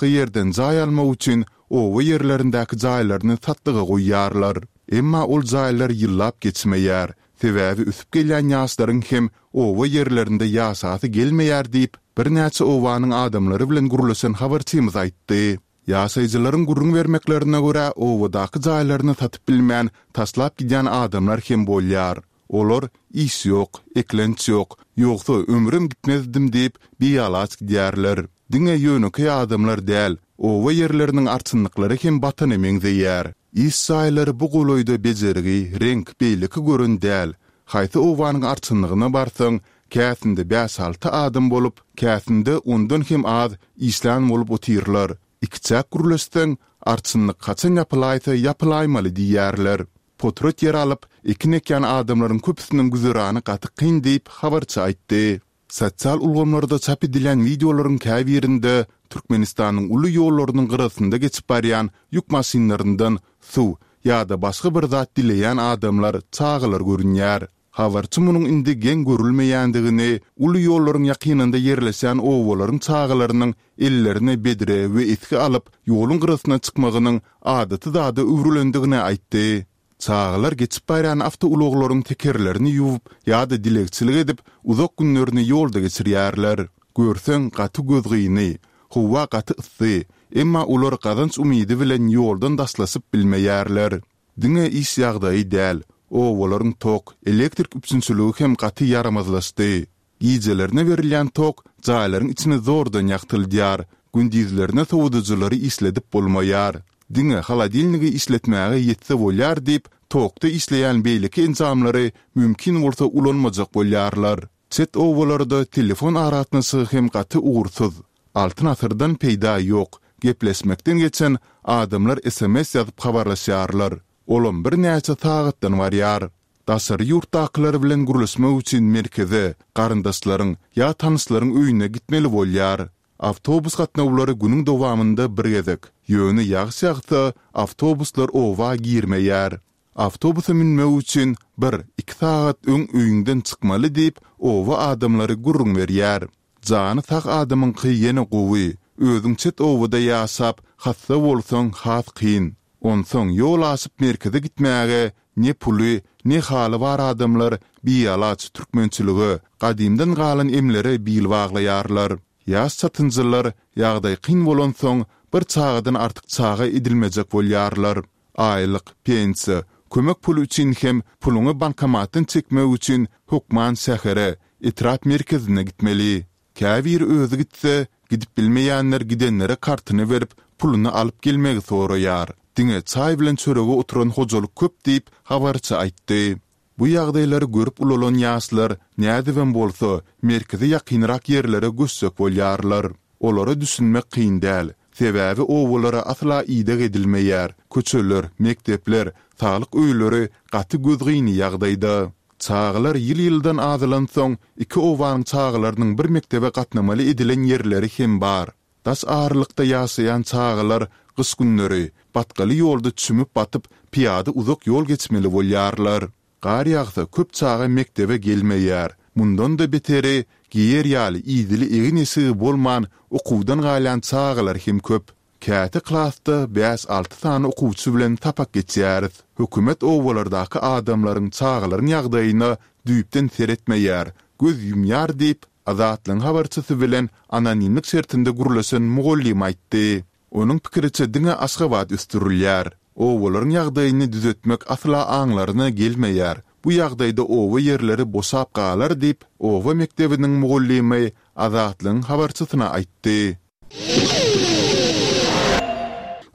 başga ýerden jaý almak üçin oba ýerlerindäki jaýlaryny satlyga goýýarlar. Emma ol jaýlar ýyllap geçmeýär. Sebäbi ösüp gelýän ýaşlaryň hem oba ýerlerinde ýaşasy gelmeýär diýip, birnäçe obanyň adamlary bilen gürleşen habarçymyz aýtdy. Ýaşaýjylaryň gürrüň bermeklerine görä, obadaky jaýlaryny satyp bilmän, taşlap gidýän adamlar hem bolýar. Olar, Iş ýok, eklenç ýok, ýogsa ömrüm gitmezdim diýip, bialaç gidýärler. Diňe ýönekeý adamlar däl, oba ýerleriniň arçynlyklary hem batana meňzeýär. Iş jaýlary bu golaýda bejergi, reňk, beýleki gören däl. Haýsy obanyň arçynlygyna barsaň, käsinde bäş-alty adam bolup, käsinde ondan hem az işlän bolup otyrlar. Ikiçäk gürleşseň, arçynlyk haçan ýapylaýsa ýapylaýmaly diýýärler. Potrat ýer alyp, ekin ekýän adamlaryň köpüsiniň güzerany gaty kyn diýip, habarçy aýtdy. Sosial ulgamlarda çap edilýän wideolaryň käbirinde Türkmenistanyň uly ýollarynyň gyrasynda geçip barýan ýük maşynlaryndan suw ýa-da başga bir zat dileýän adamlar, çagalar görünýär. Habarçy munuň indi geň görülmeýändigini, uly ýollaryň ýakynynda ýerleşýän obalaryň çagalarynyň ellerine bedre we esgi alyp, ýoluň gyrasyna çykmagynyň adaty zada öwrülendigini aýtdy. Çagalar geçip barýan awtoulaglaryň tekerlerini ýuwup ýa-da dilegçilik edip, uzak günlerini ýolda geçirýärler. Görseň, gaty gözgyny. Howa gaty yssy. Emma olar gazanç umydy bilen ýoldan daşlaşyp bilmeýärler. Diňe iş ýagdaýy däl, obalaryň tok, elektrik üpjünçiligi hem gaty ýaramazlaşdy. Gijelerine berilýän tok jaýlaryň içini zordan ýagtyldýar, gündizlerine sowadyjylary işledip bolmaýar. Diňe holodilnigi işletmäge ýetse bolýar diýip, tokda işleýän beýleki enjamlary mümkin bolsa ulanmajak bolýarlar. Çet obalarda telefon aragatnaşygy hem gaty ugursyz. Altyn asyrdan peýda ýok, gepleşmekden geçen adamlar sms ýazyp habarlaşýarlar. Olam birnäçe sagatdan barýar. Daşary ýurtdakylar bilen gürleşmek üçin merkeze, garyndaşlaryň ýa tanyşlaryň öýüne gitmeli bolýar. Awtobus gatnawlary günüň dowamynda bir gezek, ýöne ýagyş ýagsa, awtobuslar oba girmeýär. Awtobusa münmek üçin bir, iki sagat öň öýüňden çykmaly diýip, oba adamlary gürrüň berýär. Jany sag adamyňky ýene gowy, özüň çet obada ýaşap, hassa bolsaň has kyn. Onsoň ýol aşyp merkeze gitmäge ne puly, ne haly bar adamlar bialaç türkmençilige, gadymdan galan emlere bil baglaýarlar. Ýaş çatynjylar ýagdaý kyn bolansoň bir çagadan artyk çaga edilmejek bolýarlar. Aýlyk, pensiýa, kömek puly üçin hem puluňy bankomatdan çekmek üçin hökman şähere, etrap merkezine gitmeli. Käbiri özi gitse, gidip bilmeýänler gidenlere kartyny berip, puluny alyp gelmegi soraýar. Diňe çaý bilen çörege oturan hojalyk köp diýip, habarçy aýtdy. Bu ýagdaýlary görüp ulalan ýaşlar, nädibem bolsa, merkeze ýakynrak ýerlere göçjek bolýarlar. Olara düşünmek kyn däl. Sebäbi obalara asla ideg edilmeýär, köçeler, mekdepler, saglyk öýleri gaty gözgyny ýagdaýda. Çagalar ýyl-ýyldan azalansoň, iki obanyň çagalarynyň bir mekdebe gatnamaly edilen ýerleri hem bar. Daş aralykda ýaşaýan çagalar gyş günleri batgaly ýolda çümüp-batyp, pyýada uzak ýol geçmeli bolýarlar. Gar ýagsa köp çaga mekdebe gelmeýär. Mundan-da beteri, geýer ýaly idili egin-eşigi bolman okuwdan galýan çagalar hem köp. Käte klasda bäş-alty sany okuwçy bilen sapak geçýäris. Hökümet obalardaky adamlaryň, çagalaryň ýagdaýyna düýpden seretmeýär, göz ýumýar diýip, Azatlygyň habarçysy bilen anonimlik şertinde gürleşen mugallym aýtdy. Onuň pikiriçe diňe Aşgabat ösdürilýär. Obalaryň ýagdaýyny düzetmek asla aňlaryna gelmeýär. Bu ýagdaýda oba ýerleri boşap galar diýip, oba mekdebiniň mugallymy Azatlygyň habarçysyna aýtdy.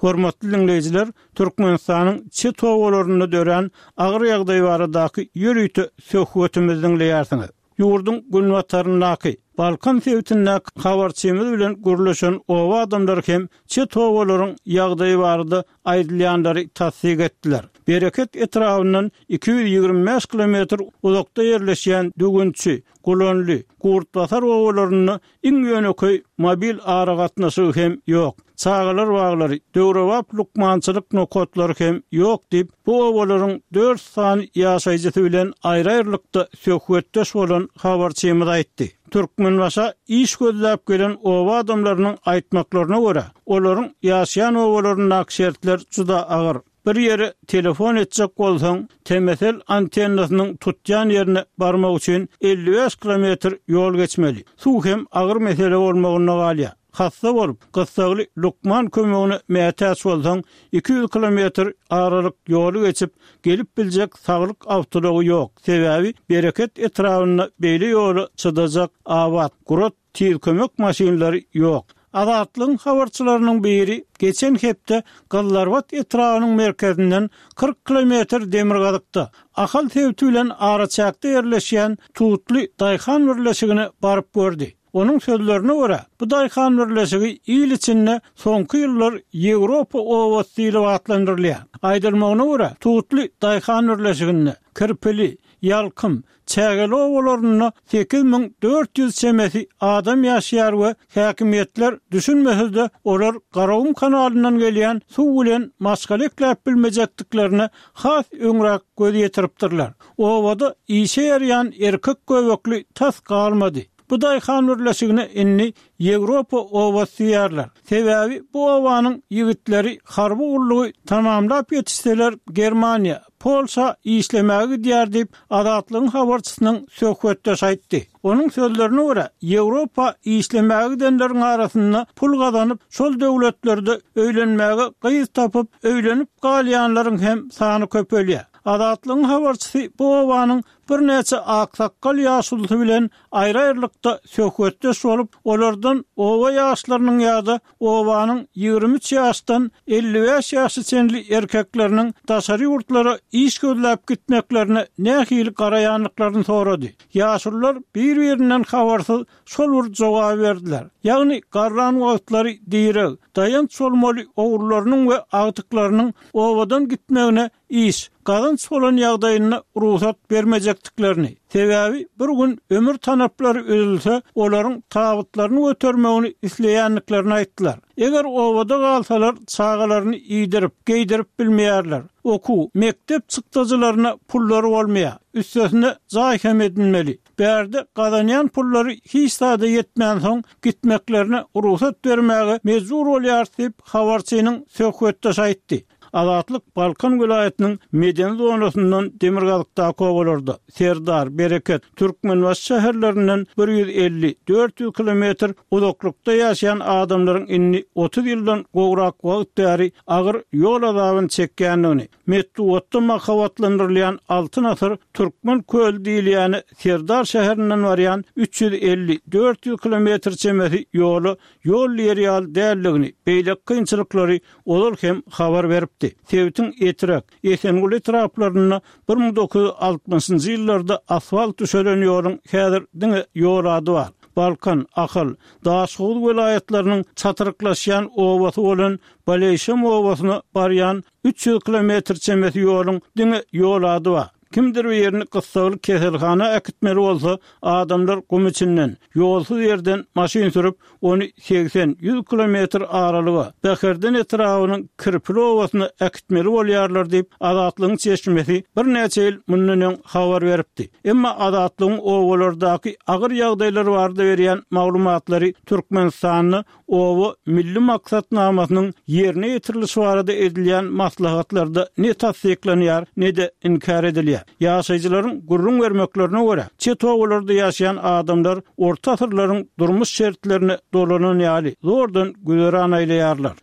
Hormatly diňleýjiler, Türkmenistanyň çet obalarynda dörän agyr ýagdaý baradaky ýörite söhbetimizi diňleýärsiňiz. Ýurduň günbataryndaky, Balkan sebitindäki habarçymyz bilen gürleşen oba adamlary hem çet obalaryň ýagdaýy barada aýdylýanlary tassyk etdiler. Bereket etrabyndan 225 kilometr uzakda ýerleşýän Düwünçi, Gulanly, Gurtbasar obalarynda Iň ýönekeý mobil aragatnaşygy hem ýok. Çagalar baglary, döwrebap lukmançylyk nokatlary hem ýok diýip, bu obalaryň dört sany ýaşaýjysy bilen aýry-aýrylykda söhbetdeş bolan habarçymyz aýtdy. Türkmenbaşa iş gözläp gelen oba adamlarynyň aýtmaklaryna görä, olaryň ýaşaýan obalaryndaky şertler juda agyr. Bir ýere telefon etjek bolsaň, TMSL antennasynyň tutýan ýerine barmak üçin 55 kilometr ýol geçmeli. Suw hem agyr mesele bolmagynda galýar. Hassa bolup, gyssagly lukman kömegine mätäç bolsaň, 200 kilometr aralyk ýoly geçip, gelip biljek saglyk awtoulagy ýok. Sebäbi Bereket etrabynda beýle ýola çydajak abat, gurat Tiz kömek maşynlary ýok. Azatlygyň habarçylarynyň biri geçen hepde Gyzlarbat etrabynyň merkezinden 40 kilometr demirgazykda, Ahal sebiti bilen araçäkde ýerleşýän Tutly daýhan birleşigine baryp gördi. Onuň sözlerine görä, bu daýhan birleşigi il içinde soňky ýyllar Ýewropa obasy diýlip atlandyrylýar. Aýdylmagyna görä, Tutly daýhan birleşiginde Kirpili, Ýalkym, Çägeli obalarynda 8400 çemesi adam ýaşaýar we häkimiýetler düşünmese-de, olar Garagum kanalyndan gelýän suw bilen maşgala ekläp bilmejekdiklerine has öňräk göz ýetiripdirler. Obada işe ýaraýan erkek göbekli tas galmady. Bu daýhan birleşigine indi Ýewropa obasy diýýärler. Sebäbi bu obanyň ýigitleri harby gullugy tamamlap ýetişseler Germaniýa, Polşa işlemäge gidýär diýip, Azatlygyň habarçysynyň söhbetdeşi aýtdy. Onuň sözlerine görä, Ýewropa işlemäge gidenleriň arasynda pul gazanyp, şol döwletlerde öýlenmäge gyz tapyp, öýlenip galýanlaryň hem sany köpelýär. Azatlygyň habarçysy bu obanyň birnäçe aksakgal ýaşulusy bilen aýry-aýrylykda söhbetdeş bolup, olardan oba ýaşlarynyň ýa-da obanyň 23 ýaşdan 55 ýaşa çenli erkekleriniň daşary ýurtlara iş gözläp gitmeklerine nähili garaýandyklaryny sorady. Ýaşulular bir-birinden habarsyz şol bir jogaby berdiler. Ýagny garran wagtlary direg, daýanç bolmaly ogullarynyň we agtyklarynyň obadan gitmegine iş, gazanç bolan ýagdaýynda rugsat bermejekdiklerini, sebäbi bir gün ömür tanaplary üzülse, olaryň tabytlaryny götermegini isleýändiklerini aýtdylar. Eger obada galsalar, çagalaryny iýdirip, geýdirip bilmeýärler. Okuw, mekdep çykdajylaryna pullary bolmaýar. Üstesine jaý hem edinmeli. Bärde gazanýan pullary hiç zada ýetmänsoň, gitmeklerine rugsat bermäge mejbur bolýarys diýip, habarçynyň söhbetdeşi aýtdy. Azatlyk Balkan welaýatynyň medeni zonasyndan demirgazykdaky obalarda, Serdar, Bereket, Türkmenbaşy şäherlerinden 150, 400 kilometr uzaklykda ýaşaýan adamlaryň indi 30 ýyldan gowrak wagt bäri agyr ýol azabyny çekýändigini, metbugatda mahabatlandyrylýan Altyn asyr Türkmen köli diýilýäne Serdar şäherinden barýan 350, 400 kilometr çemesi ýola ýol diýer ýaly däldigini, beýleki kynçylyklary ozal hem habar beripdi. Sebitiň Etrek, Esenguly etraplarynda 1960-njy ýyllarda asfalt düşelen ýoluň häzir diňe ýol ady bar. Balkan, Ahal, Daşhowuz welaýatlarynyň çatryklaşýan obasy bolan Baleýşem obasyna barýan 300 kilometr çemesi ýoluň diňe ýol ady bar. Kimdir birini gyssagly keselhana äkitmeli bolsa, adamlar gum içinden, ýolsuz ýerden maşyn sürüp, ony segsen, ýüz kilometr aralyga, Bäherden etrabynyň Kirpili obasyna äkitmeli bolýarlar diýip, Azatlygyň çeşmesi birnäçe ýyl mundan öň habar beripdi. Emma Azatlygyň obalardaky agyr ýagdaýlar barada berýän maglumatlary Türkmenistanda Oba milli maksatnamasynyň ýerine ýetirilişi barada edilýän maslahatlarda ne tassyklanýar, ne-de inkär edilýär. Ýaşaýjylaryň gürrüň bermeklerine görä, çet obalarda ýaşaýan adamlar orta asyrlaryň durmuş şertlerine dolanan ýaly, zordan güzeran aýlaýarlar.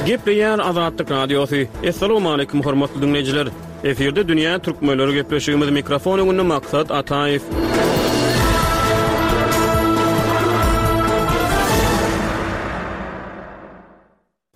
Gepleýär Azatlyk Radiosy. Assalamualaikum hormatly diňleýjiler. Efirde dünýä türkmenleri gepleşigimiz mikrofon öňünde Maksat Ataýew.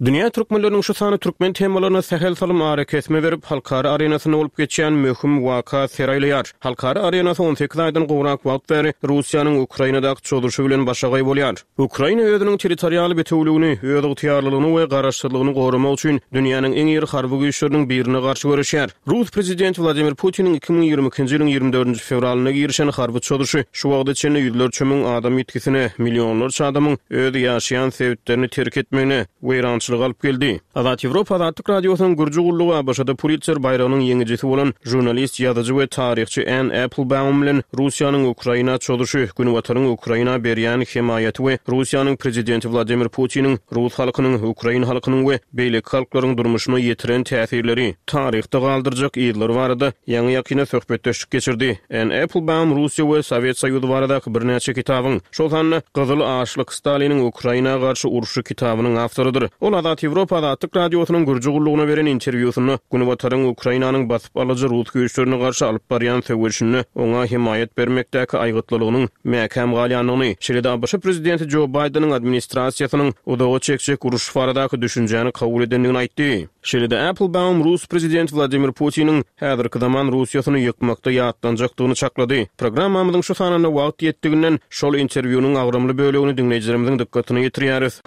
Dünýä türkmenleriniň şu sany türkmen temalaryna sähel salym arakesme berip, halkara arenasynda bolup geçýän möhüm waka ser aýlaýar. Halkara arenasy 18 aýdan gowrak wagt bäri Russiýanyň Ukrainadaky çozuşy bilen başagaý bolýar. Ukraina özüniň territorial bitewüligini, özygtyýarlylygyny we garaşsyzlygyny goramak üçin dünýäniň iň iri harby güýçleriniň birine garşy göreşýär. Rus prezidenti Wladimir Putiniň 2022-nji ýylyň 24-nji fewralynda girişen harby çozuşy şu wagta çenli ýüzlerçe müň adam ýitgisine, millionlarça adamyň öz ýaşaýan sebitlerini terk etmegine, weýrançylyk. betbagtçylyga alyp geldi. Azat Ýewropa Azatlyk Radiosynyň Gürji gullugy ABŞ-da Pulitzer baýragynyň ýeňijisi bolan žurnalist, ýazyjy we taryhçy Ann Applebaum bilen Russiýanyň Ukraina çozuşy, Günbataryň Ukraina berýän hemaýaty we Russiýanyň prezidenti Wladimir Putiniň rus halkynyň, ukrain halkynyň we beýleki halklaryň durmuşyna ýetiren täsirleri, taryhda galdyrjak yzlary barada ýaňy-ýakynda söhbetdeşlik geçirdi. Ann Applebaum Russiýa we Sowet Soýuzy baradaky birnäçe kitabyň, şol sanda Gyzyl açlyk, Staliniň Ukraina garşy urşy kitabynyň awtorydyr. Ol Azat Ýewropa Azatlyk Radiosynyň Gürji gullugyna beren interwýusynda Günbataryň Ukrainanyň basyp alyjy rus güýçlerine garşy alyp barýan söweşinde oňa hemaýat bermekdäki aýgytlylygynyň mäkäm galýandygyny, şeýle-de ABŞ prezidenti Jo Baýdeniň administrasiýasynyň uzaga çekjek uruş baradaky düşünjäni kabul edendigini aýtdy. Şeýle-de Applebaum rus prezidenti Wladimir Putiniň häzirki zaman Russiýasyny ýykmakda ýatlanjakdygyny çaklady. Programmamyzyň şu sanynda wagt ýetdiginden şol interwýunyň agramly bölegini diňleýjilerimiziň dykgatyna ýetirýäris.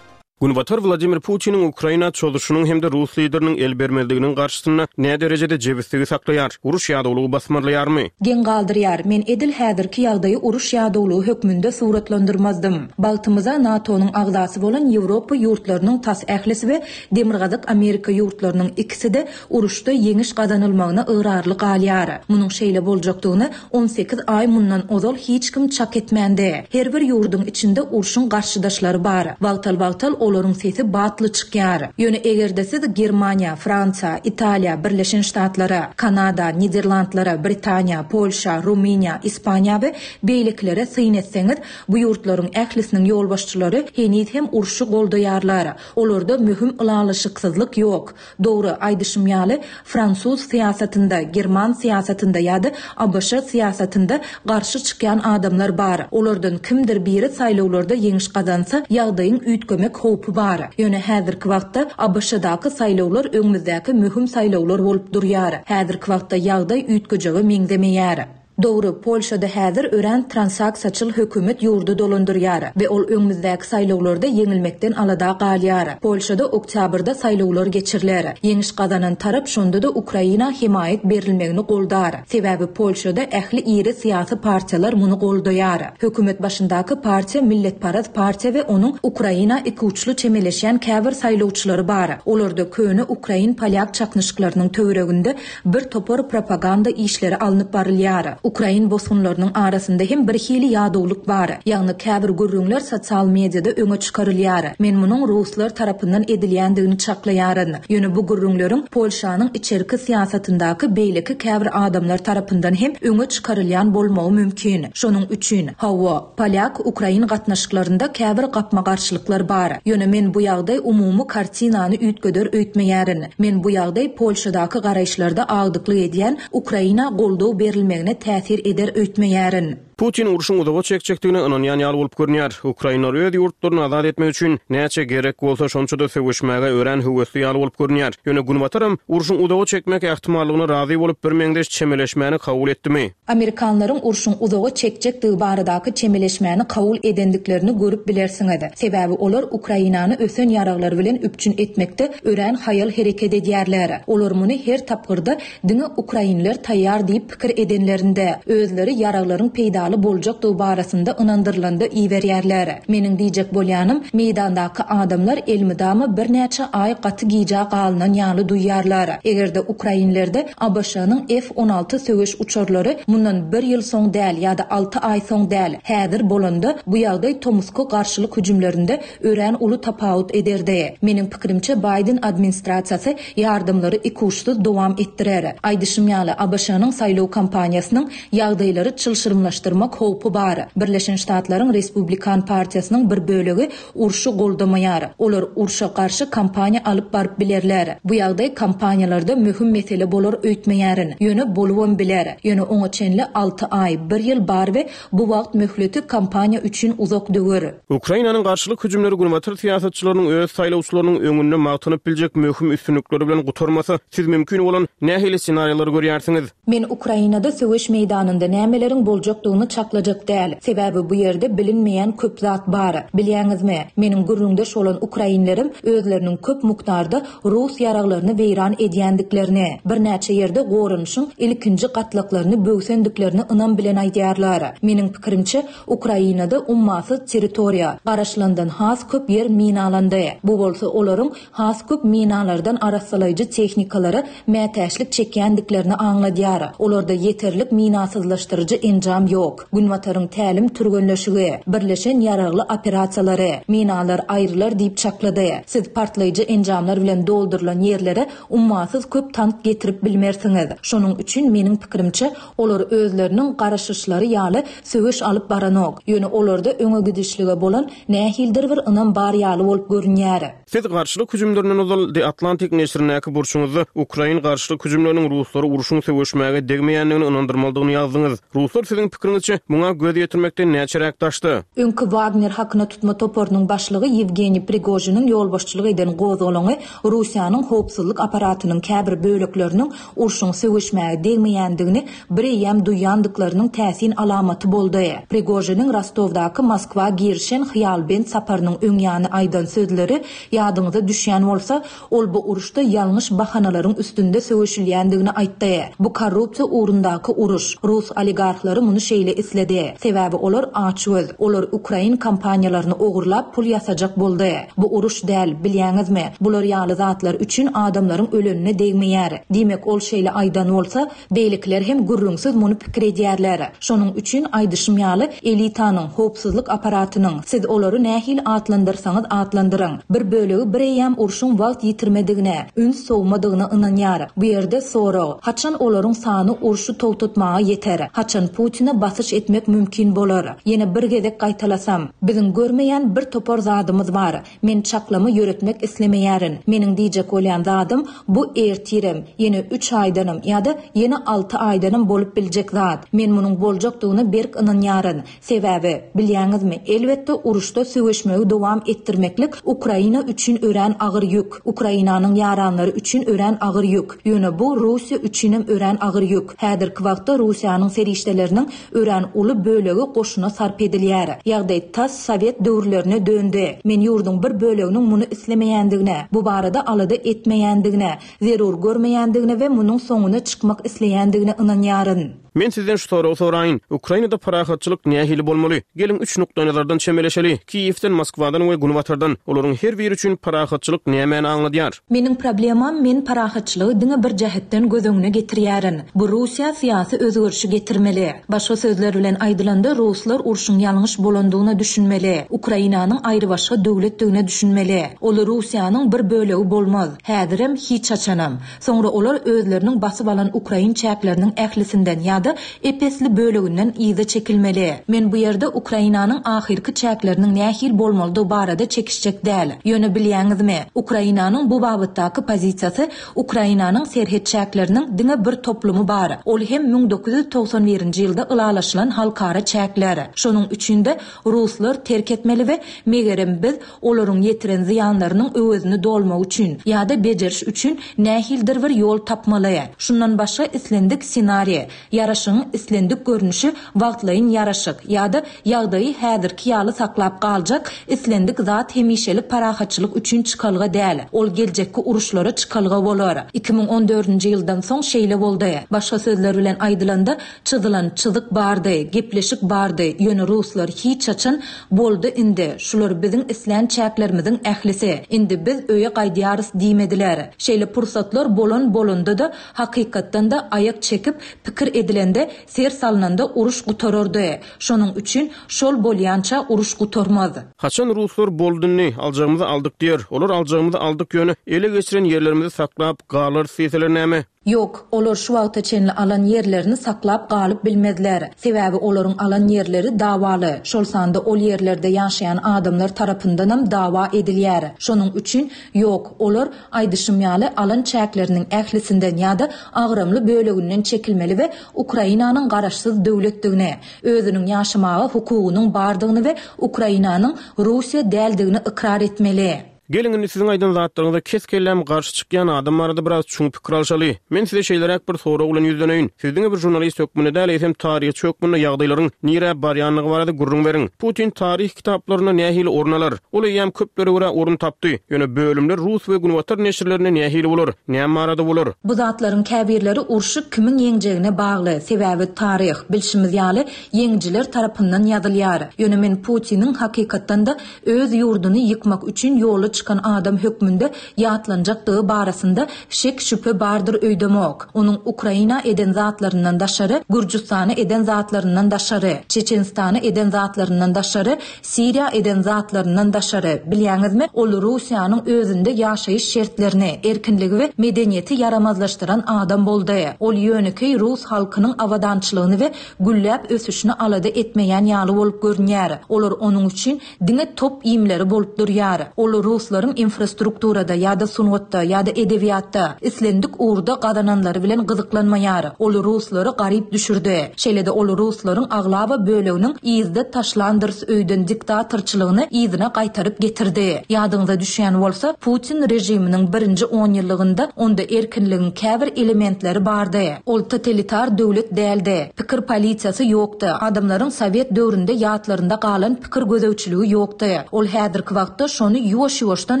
Günbatar Wladimir Putiniň Ukraina çozuşynyň hem-de rus lideriniň el bermezliginiň garşysynda näderejede jebisligi saklaýar? Uruş ýadawlygy basmarlaýarmy? Geň galdyrýar. Men edil häzirki ýagdaýy uruş ýadawlygy hökmünde suratlandyrmazdym. Bagtymyza NATO-nyň agzasy bolan Ýewropa ýurtlarynyň tas ählisi we Demirgazyk Amerika ýurtlarynyň ikisi-de uruşda ýeňiş gazanylmagyna ygrarly galýar. Munuň şeýle boljakdygyny 18 aý mundan ozal hiç kim çak etmändi. Her bir ýurduň içinde urşuň garşydaşlary bar. Wagtal-wagtal olaryň sesi batly çykýar. Ýöne eger-de siz Germaniýa, Fransiýa, Italiýa, Birleşen Ştatlara, Kanada, Niderlandlara, Britaniýa, Polşa, Rumyniýa, Ispaniýa we beýlekilere syn etseňiz, bu ýurtlaryň ählisiniň ýolbaşçylary heniz hem urşy goldaýarlar. Olarda möhüm ylalaşyksyzlyk ýok. Dogry, aýdyşym ýaly, fransuz syýasatynda, german syýasatynda ýa-da ABŞ syýasatynda garşy çykýan adamlar bar. Olardan kimdir biri saýlawlarda ýeňiş gazansa, ýagdaýyň üýtgemek howpy bar. Ýöne häzirki wagtda ABŞ-daky saýlawlar öňümizdäki möhüm saýlawlar bolup durýar. Häzirki wagtda ýagdaý üýtgejege meňzemeýär. Dogry, Polşada häzir örän transaksiýaçyl hökümet ýurdy dolandyrýar we ol öňümizdäki saýlawlarda ýeňilmekden alada galýar. Polşada oktýabrda saýlawlar geçiriler. Ýeňiş gazanan tarap şonda-da Ukraina hemaýat berilmegini goldar. Sebäbi Polşada ähli iri syýasy partiýalar muny goldaýar. Hökümet başyndaky partiýa milletparaz partiýa we onuň Ukraina ikuçly çemeleşýän käbir saýlawçylary bar. Olarda köne ukrain-polýak çaknyşyklarynyň töwereginde Bir topar propaganda işleri alnyp barylýar. Ukrain bosgunlarynyň arasynda hem bir hili ýadawlyk bar. Ýagny käbir gürrüňler sosial mediada öňe çykarylýar. Men munuň ruslar tarapyndan edilýändigini çaklaýaryn. Ýöne bu gürrüňleriň Polşanyň içerki syýasatyndaky beýleki käbir adamlar tarapyndan hem öňe çykarylýan bolmagy mümkin. Şonuň üçin, hawa, polýak-ukrain gatnaşyklarynda käbir gapma-garşylyklar bar. Ýöne men bu ýagdaý umumy kartinany üýtgeder öýtmeýärin. Men bu ýagdaý Polşadaky garaýyşlarda agdyklyk edýän Ukraina goldaw berilmegine täsir eder öýtmeýärin. Putin urşuň uzaga çekjekdigine ynanýan ýaly bolup görünýär. Ukrainler öz ýurtlaryny azat etmek üçin näçe gerek bolsa şonça-da söweşmäge örän höwesli ýaly bolup görünýär. Ýöne Günbataram urşuň uzaga çekmek ähtimallygyna razy bolup birmeňzeş çemeleşmäni kabul etdimi? Amerikanlaryň urşuň uzaga çekjekdigi baradaky çemeleşmäni kabul edendiklerini görüp bilersiňiz. Sebäbi olar Ukrainany ösen ýaraglar bilen üpjün etmekde örän haýal hereket edýärler. Olar muny her tapgyrda diňe ukrainler taýýar diýip pikir edenlerinde, özleri ýaraglaryň peýdaly boljakdygy barasynda ynandyrylanda iberýärler. Meniň diýjek bolýanym, meýdandaky adamlar elmydama birnäçe aý gaty gijä galynan ýaly duýýarlar. Eger-de ukrainlerde ABŞ-nyň F 16 söweş uçarlary mundan bir ýyl soň däl ýa-da alty aý soň däl, häzir bolanda, bu ýagdaý tomusky garşylyk hüjümlerinde örän uly tapawut ederdi. Meniň pikirimçe, Baýden administrasiýasy ýardamlary ikuçsuz dowam etdirer. Aýdyşym ýaly, ABŞ-nyň saýlaw kampaniýasynyň ýagdaýlary çylşyrymlaşdyrmak howpy bar. Birleşen Ştatlaryň Respublikan partiýasynyň bir bölegi urşy goldamaýar. Olar urşa garşy kampaniýa alyp baryp bilerler. Bu ýagdaý kampaniýalarda möhüm mesele bolar öýtmeýärin. Ýöne bolubam biler. Ýöne oňa çenli alty aý, bir ýyl bar we bu wagt möhleti kampaniýa üçin uzak döwür. Ukrainanyň garşylyk hüjümleri günbatar syýasatçylarynyň öz saýlawçylarynyň öňünde magtanyp biljek möhüm üstünlikleri bilen gutarmasa, siz mümkin bolan nähili ssenariýalary görýärsiňiz? Men Ukrainada söweş meýdanynda nämeleriň boljakdygyny. muny çaklajak däl. Sebäbi bu ýerde bilinmeýän köp zat bar. Bilýäňizmi, meniň gürrüňdeş bolan ukrainlerim özleriniň köp mukdarda rus ýaraglaryny weýran edýändiklerini, birnäçe ýerde goranyşyň ilkinji gatlaklaryny böwsendiklerini ynam bilen aýdýarlar. Meniň pikirimçe, Ukrainada ummasyz territoriýa, garaşylandan has köp ýer minalandy. Bu bolsa olaryň has köp minalardan arassalaýjy tehnikalara mätäçlik çekýändiklerini aňladýar. Olarda ýeterlik minasyzlaşdyryjy enjam ýok. Günbataryň tälim-türgenleşigi, birleşen ýaragly operasiýalary, minalar aýrylar diýip çaklady. Siz partlaýjy enjamlar bilen doldurylan ýerlere ummasyz köp tank getirip bilmersiňiz. Şonuň üçin, meniň pikirimçe, olar özleriniň garaşyşlary ýaly söweş alyp baranok. Ýöne olarda öňe gidişlige bolan nähilidir bir ynam bar ýaly bolup görünýär. Siz garşylyk hüjümlerinden ozal The Atlantic neşirindäki burçuňyzda ukrain garşylyk hüjümleriniň ruslary urşuň söweşmäge degmeýändigini ynandyrmalydygyny ýazdyňyz. Ruslar siziň pikiriňizçe, muňa göz ýetirmekden näçeräk daşda? Öňki Wagner hakyna tutma toparynyň başlygy Ýewgeniý Prigožiniň ýolbaşçylyk eden gozgalaňy Russiýanyň howpsuzlyk apparatynyň käbir bölekleriniň urşuň söweşmäge degmeýändigini bireýýäm duýandyklarynyň täsin alamaty boldy. Prigožiniň Rostowdaky Moskwa girişen hyýalbent saparynyň öň ýany aýdan sözleri ýadyňyza düşýän bolsa, ol bu uruşda ýalňyş bahanalaryň üstünde söweşilýändigini aýtdy. Bu korrupsiýa ugrundaky uruş. Rus oligarhlary muny şeýle isledi. Sebäbi olar açgöz. Olar ukrain kompaniýalaryny ogurlap pul ýasajak boldy. Bu uruş däl, bilýäňizmi? Bular ýaly zatlar üçin adamlaryň ölenine degmeýär. Diýmek, ol şeýle aýdan bolsa, beýlekiler hem gürrüňsiz muny pikir edýärler. Şonuň üçin, aýdyşym ýaly, elitanyň, howpsuzlyk apparatynyň, siz olary nähili atlandyrsaňyz atlandyryň, bir bölegi bireýýäm urşuň wagt ýitirmedigine, üns sowmadygyna ynanýar. Bu ýerde sorag, haçan olaryň sany urşy togtatmaga ýeter? Haçan Putine basyş etmek mümkin bolar? Ýene bir gezek gaýtalasam, biziň görmeýän bir topar zadymyz bar. Men çaklama ýöretmek islemeýärin. Meniň diýjek bolýan zadym, bu ertirem, ýene üç aýdanam ýa-da ýene alty aýdanam bolup biljek zat. Men munuň boljakdygyna berk ynanýaryn. Sebäbi, bilýäňizmi, elbetde uruşda söweşmegi dowam etdirmeklik Ukraina üçin örän agyr ýük. Ukrainanyň ýaranlary üçin örän agyr ýük. Ýöne bu Russiýa üçinem örän agyr ýük. Häzirki wagtda Russiýanyň serişdeleriniň Örän uly bölegi goşuna sarp edilýär. Ýagdaý tas sowet döwürlerine döndi. Men ýurduň bir böleginiň muny islemeýändigine, bu barada alada etmeýändigine, zerur görmeýändigine we munuň soňuna çykmak isleýändigine ynanýaryn. Men sizden şu soragy soraýyn, Ukrainada parahatçylyk nähili bolmaly? Geliň, üç nukdaýnazardan çemeleşeli, Kiýewden, Moskwadan we Günbatardan. Olaryň her biri üçin parahatçylyk nämäni aňladýar? Meniň problemam men parahatçylygy diňe bir jähetden göz öňüne getirýärin. Bu Russiýa syýasy özgerişi getirmeli. Başga sözler bilen aýdylanda ruslar urşuň ýalňyş bolandygyna düşünmeli. Ukrainanyň aýrybaşga döwletdigine düşünmeli. Ol Russiýanyň bir bölegi bolmaz. Häzirem, hiç haçanam. Soňra olar özleriniň basyp alan ukrain çäkleriniň ählisinden ýa-da ep-esli böleginden yza çekilmeli. Men bu ýerde Ukrainanyň ahyrky çäkleriniň nähili bolmalydygy barada çekişjek däl. Ýöne bilýäňizmi, Ukrainanyň bu babatdaky pozisiýasy Ukrainanyň serhet çäkleriniň diňe bir toplumy bar, ol hem 1991-nji ýylda ylalaşylan halkara çäkler. Şonuň üçin-de, ruslar terk etmeli we megerem biz olaryň ýetiren zyýanlarynyň öwezini dolmak üçin ýa-da bejeriş üçin nähilidir bir ýol tapmaly. Şundan başga islendik ssenariý, ýaraşygyň islendik görnüşi wagtlaýyn ýaraşyk ýa-da ýagdaýy häzirki ýaly saklap galjak islendik zat hemişelik parahatçylyk üçin çykalga däl, ol geljekki uruşlara çykalga bolar. 2014-nji ýyldan soň şeýle boldy. Başga sözler bilen aýdylanda, Çyzylan çyzyk bardy, gepleşik bardy, ýöne ruslar hiç haçan Boldy indi, şular biziň islän çäklerimiziň ählisi, indi biz öýe gaýdýarys diýmediler. Şeýle pursatlar bolan bolanda-da, hakykatdan-da aýak çekip, pikir edilende, ser salnanda uruş gutarardy. Şonuň üçin şol bolýança uruş gutarmaz. Haçan ruslar boldy indi, aljagymyzy aldyk diýer. Olar aljagymyzy aldyk ýöne ele geçiren ýerlerimizi saklap galarys diýseler näme? Ýok, olar şu wagta çenli alan ýerlerini saklap galyp bilmezler. Sebäbi olaryň alan ýerleri dawaly, şol sanda ol ýerlerde ýaşaýan adamlar tarapyndanam dawa edilýär. Şonuň üçin, ýok, olar, aýdyşym ýaly, alan çäkleriniň ählisinden ýa-da agramly böleginden çekilmeli we Ukrainanyň garaşsyz döwletdigini, özüniň ýaşamaga hukugynyň bardygyny we Ukrainanyň Russiýa däldigini ykrar etmeli. Geliň indi siziň aýdan zatlaryňyza kes-kelläm garşy çykýan adam barada biraz çuň pikir alşaly. Men size şeýleräk bir sorag bilen ýüzleneýin. Siz diňe bir žurnalist hökmünde däl, eýsem taryhçy hökmünde ýagdaýlaryň nirä barýandygy barada gürrüň beriň. Putin taryh kitaplarynda nähili orun alar? Ol eýýäm köplere görä orun tapdy. Ýöne bölümler rus we günbatar neşirlerinde nähili bolar? Näme barada bolar? Bu zatlaryň käbirleri urşy kimiň ýeňjegine bagly, sebäbi taryh, bilşimiz ýaly, ýeňijiler tarapyndan ýazylýar. Ýöne men Putiniň hakykatdan-da öz ýurduny ýykmak üçin ýola çykan adam hökmünde ýatlanjakdygy barasynda şek-şübhe bardyr öýdemok. Onuň Ukraina eden zatlaryndan daşary, Gürjüstana eden zatlaryndan daşary, Çeçenistana eden zatlaryndan daşary, Siriýa eden zatlaryndan daşary, bilýäňizmi, ol Russiýanyň özünde ýaşaýyş şertlerini, erkinligi we medeniýeti ýaramazlaşdyran adam boldy. Ol ýönekeý rus halkynyň abadançylygyny we gülläp ösüşini alada etmeýän ýaly bolup görünýär. Olar onuň üçin diňe top iýmleri bolup durýar. Ol ruslaryň infrastrukturada ýa-da sungatda ýa-da edebiýatda, islendik ugurda gazananlary bilen gyzyklanmaýar. Ol ruslary garyp düşürdi. Şeýle-de ol ruslaryň aglaba böleginiň yzda taşlandyrys öýden diktatorçylygyny yzyna gaýtaryp getirdi. Ýadyňyza düşýän bolsa, Putin režiminiň birinji onýyllygynda onda erkinligiň käbir elementleri bardy. Ol totalitar döwlet däldi. Pikir polisiýasy ýokdy. Adamlaryň sowet döwründe ýatlarynda galan pikir gözegçiligi ýokdy. Ol häzirki wagtda şony ýuwaş-ýuwaşdan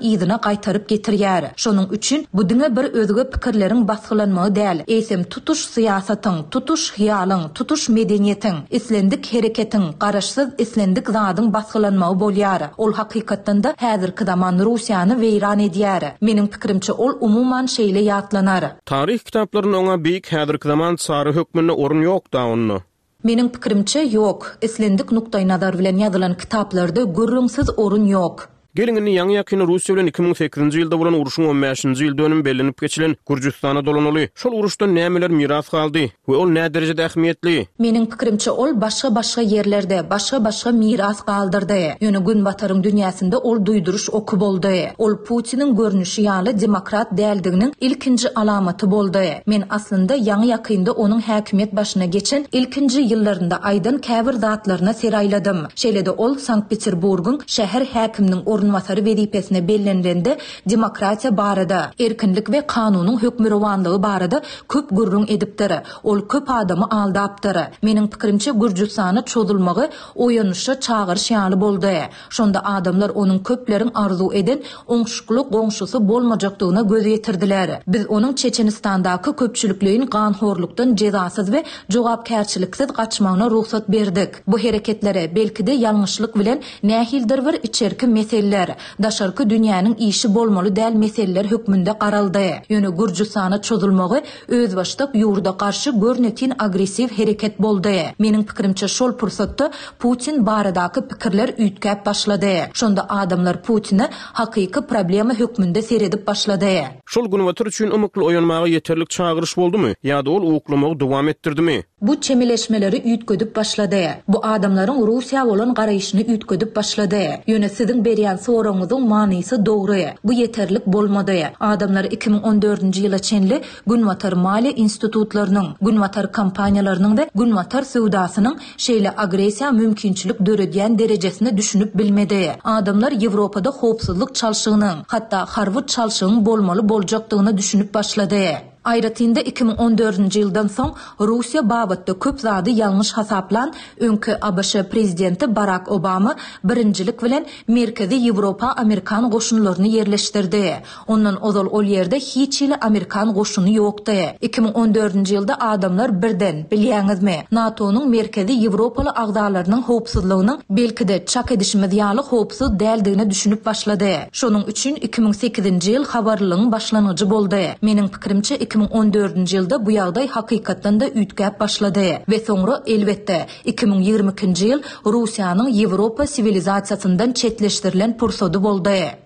yzyna gaýtaryp getirýär. Şonuň üçin bu diňe bir özge pikirleriň basgylanmagy däl, eýsem tutuş syýasatyň, tutuş hyýalyň, tutuş medeniýetiň, islendik hereketiň, garaşsyz islendik zadyň basgylanmagy bolýar. Ol hakykatdan-da häzirki zaman Russiýany weýran edýär. Meniň pikirimçe ol umuman şeýle ýatlanar. Taryh kitaplarynda oňa beýik häzirki zaman çary hökmünde orun ýok-da onda. Meniň pikirimçe, ýok. Islendik nukdaýnazar bilen ýazylan kitaplarda gürrüňsiz orun ýok. Geliň indi ýaňy-ýakynda Russiýa bilen 2008-nji ýylda bolan urşuň on bäşinji ýyl dönümi bellenip geçilen Gürjüstana dolanaly. Şol uruşdan nämeler miras galdy we ol näderejede ähmiýetli? Meniň pikirimçe ol başga-başga ýerlerde, başga-başga miras galdyrdy. Ýöne Günbataryň dünýäsinde ol duýduryş oky boldy. Ol Putiniň görnüşi ýaly demokrat däldiginiň ilkinji alamaty boldy. Men aslynda ýaňy-ýakynda onuň häkimiýet başyna geçen ilkinji ýyllarynda aýdan käbir zatlaryna ser aýladym. Şeýle-de ol Sankt-Peterburgyň şäher häkiminiň orunbasary wezipesine bellenilende demokratiýa barada, erkinlik we kanunyň hökmürowanlygy barada köp gürrüň edipdir. Ol köp adamy aldapdyr. Meniň pikirimçe Gürjüstana çozulmagy oýanyşa çagyryş ýaly boldy. Şonda adamlar onuň köpleriň arzuw eden oňşukly goňşusy bolmajakdygyna göz ýetirdiler. Biz onuň Çeçenistandaky köpçülikleýin ganhorlukdan jezasyz we jogapkärçiliksiz gaçmagyna rugsat berdik. Bu hereketlere, belki-de ýalňyşlyk bilen, nähilidir bir içerki meseleler, daşarky dünýäniň işi bolmaly däl meseleler hökmünde garaldy. Ýöne Gürjüstana çozulmagy özbaşdak ýurda garşy görnetin agressiw hereket boldy. Meniň pikirimçe şol pursatda Putin baradaky pikirler üýtgäp başlady. Şonda adamlar Putine hakyky problema hökmünde seredip başlady. Şol Günbatar üçin ymykly oýanmaga ýeterlik çagyryş boldumy ýa-da ol uklamagy dowam etdirdimi? Bu çemeleşmeleri üýtgedip başlady. Bu adamlaryň Russiýa bolan garaýşyny üýtgedip başlady. Ýöne siziň berýän soragyňyzyň manysy dogry. Bu ýeterlik bolmady. Adamlar 2014-nji ýyla çenli Günbatar maliýe institutlarynyň, Günbatar kompaniýalarynyň we Günbatar söwdasynyň şeýle agressiýa mümkinçilik döredýän derejesine düşünip bilmedi. Adamlar Ýewropada howpsuzlyk çalşygynyň, hatda harby çalşygyň bolmaly boljakdygyna düşünip başlady. Aýratyn-da, 2014-nji ýyldan soň Russiýa babatda köp zady ýalňyş hasaplan öňki ABŞ prezidenti Barak Obama birinjilik bilen Merkezi Ýewropa amerikan goşunlaryny ýerleşdirdi. Ondan ozal ol ýerde hiç hili amerikan goşuny ýokdy. 2014-nji ýylda adamlar birden, bilýäňizmi, NATO-nyň merkezi ýewropaly agzalarynyň howpsuzlygynyň, belki-de, çak edişimiz ýaly howpsuz däldigine düşünip başlady. Şonuň üçin 2008-nji ýyl habarlylygyň başlangyjy boldy. Meniň pikirimçe, 2014-nji ýylda bu ýagdaý hakykatdan-da üýtgäp başlady. We soňra, elbetde, 2022-nji ýyl Russiýanyň Ýewropa siwilizasiýasyndan çetleşdirilen pursady boldy.